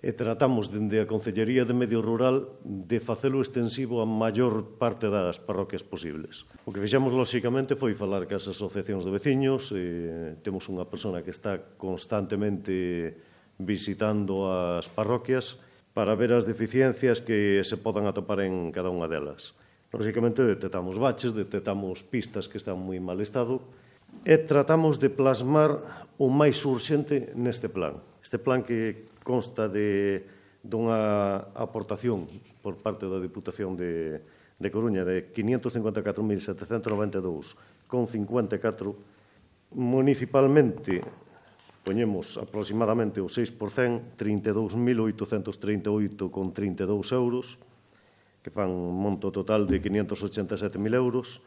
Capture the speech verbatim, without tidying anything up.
e tratamos dende a Concellería de Medio Rural de facelo extensivo a maior parte das parroquias posibles. O que fixemos, lóxicamente, foi falar cas asociacións de veciños, e temos unha persona que está constantemente visitando as parroquias para ver as deficiencias que se podan atopar en cada unha delas. Lóxicamente, detectamos baches, detectamos pistas que están moi mal estado e tratamos de plasmar o máis urxente neste plan. Este plan que consta de dunha aportación por parte da Diputación de, de Coruña de quinientos cincuenta e catro mil setecentos noventa e dous con cincuenta e catro. Municipalmente poñemos aproximadamente o seis por cento, trinta e dous mil oitocentos trinta e oito con trinta e dous euros, que fan un monto total de quinientos ochenta e sete mil euros.